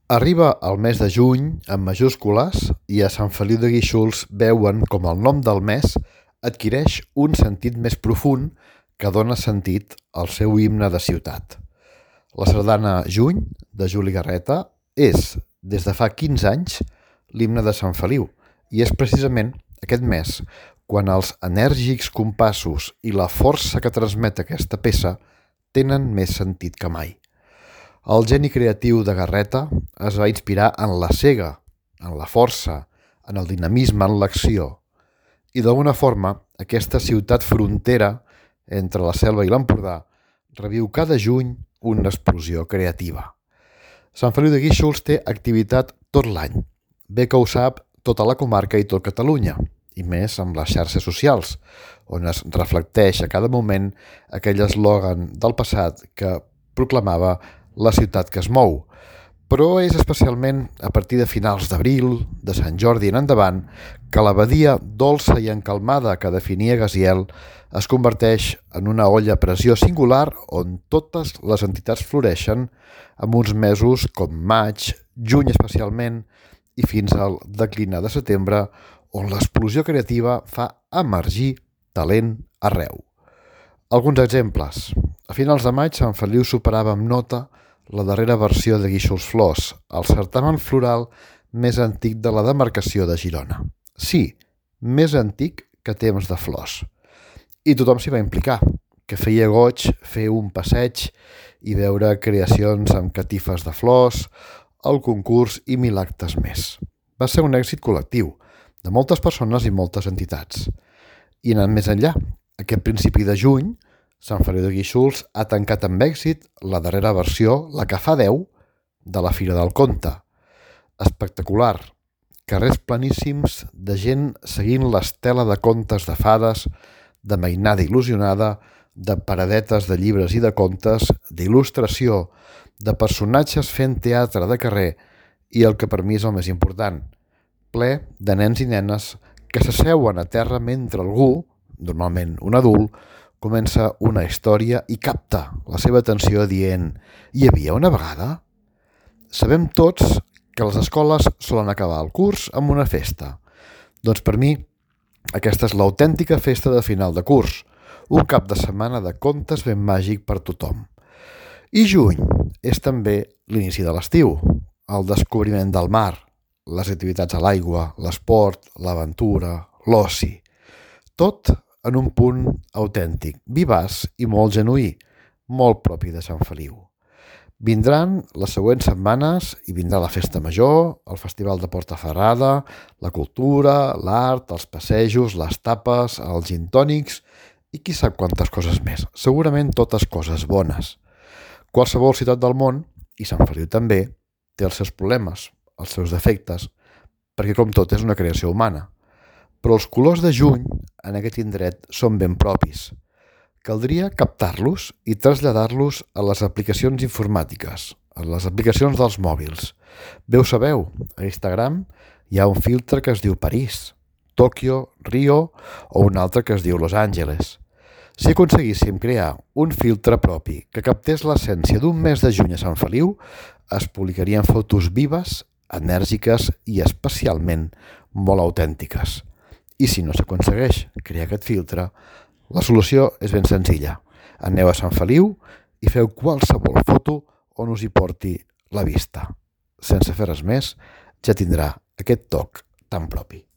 Arriba el mes de juny amb majúscules i a Sant Feliu de Guíxols veuen com el nom del mes adquireix un sentit més profund que dona sentit al seu himne de ciutat. La sardana Juny, de Juli Garreta, és, des de fa 15 anys, l'himne de Sant Feliu i és precisament aquest mes quan els enèrgics compassos i la força que transmet aquesta peça tenen més sentit que mai. El geni creatiu de Garreta es va inspirar en la sega, en la força, en el dinamisme, en l'acció. I d'alguna forma, aquesta ciutat frontera entre la Selva i l'Empordà reviu cada juny una explosió creativa. Sant Feliu de Guíxols té activitat tot l'any. Bé que ho sap tota la comarca i tot Catalunya, i més amb les xarxes socials, on es reflecteix a cada moment aquell eslògan del passat que proclamava la ciutat que es mou. Però és especialment a partir de finals d'abril, de Sant Jordi en endavant, que la badia dolça i encalmada que definia Gaziel es converteix en una olla a pressió singular on totes les entitats floreixen en uns mesos com maig, juny especialment i fins al declinar de setembre, on l'explosió creativa fa emergir talent arreu. Alguns exemples. A finals de maig, Sant Feliu superava amb nota la darrera versió de Guíxols Flors, el certamen floral més antic de la demarcació de Girona. Sí, més antic que Temps de Flors. I tothom s'hi va implicar, que feia goig fer un passeig i veure creacions amb catifes de flors, el concurs i 1000 actes més. Va ser un èxit col·lectiu, de moltes persones i moltes entitats. I anant més enllà, aquest principi de juny, Sant Feliu de Guíxols ha tancat amb èxit la darrera versió, la que fa 10, de la Fira del Conte. Espectacular. Carrers planíssims de gent seguint l'estela de contes de fades, de mainada il·lusionada, de paradetes de llibres i de contes, d'il·lustració, de personatges fent teatre de carrer i el que per mi és el més important, ple de nens i nenes que s'asseuen a terra mentre algú, normalment un adult, comença una història i capta la seva atenció dient «Hi havia una vegada?» Sabem tots que les escoles solen acabar el curs amb una festa. Doncs per mi, aquesta és l'autèntica festa de final de curs, un cap de setmana de contes ben màgic per tothom. I juny és també l'inici de l'estiu, el descobriment del mar, les activitats a l'aigua, l'esport, l'aventura, l'oci. Tot en un punt autèntic, vivaç i molt genuí, molt propi de Sant Feliu. Vindran les següents setmanes i vindrà la festa major, el festival de Portaferrada, la cultura, l'art, els passejos, les tapes, els gintònics i qui sap quantes coses més. Segurament totes coses bones. Qualsevol ciutat del món, i Sant Feliu també, té els seus problemes, els seus defectes, perquè com tot és una creació humana. Però els colors de juny en aquest indret són ben propis. Caldria captar-los i traslladar-los a les aplicacions informàtiques, a les aplicacions dels mòbils. Bé ho sabeu, a Instagram hi ha un filtre que es diu París, Tòquio, Rio o un altre que es diu Los Angeles. Si aconseguíssim crear un filtre propi que captés l'essència d'un mes de juny a Sant Feliu, es publicarien fotos vives, enèrgiques i especialment molt autèntiques. I si no s'aconsegueix crear aquest filtre, la solució és ben senzilla. Aneu a Sant Feliu i feu qualsevol foto on us hi porti la vista. Sense fer res més, ja tindrà aquest toc tan propi.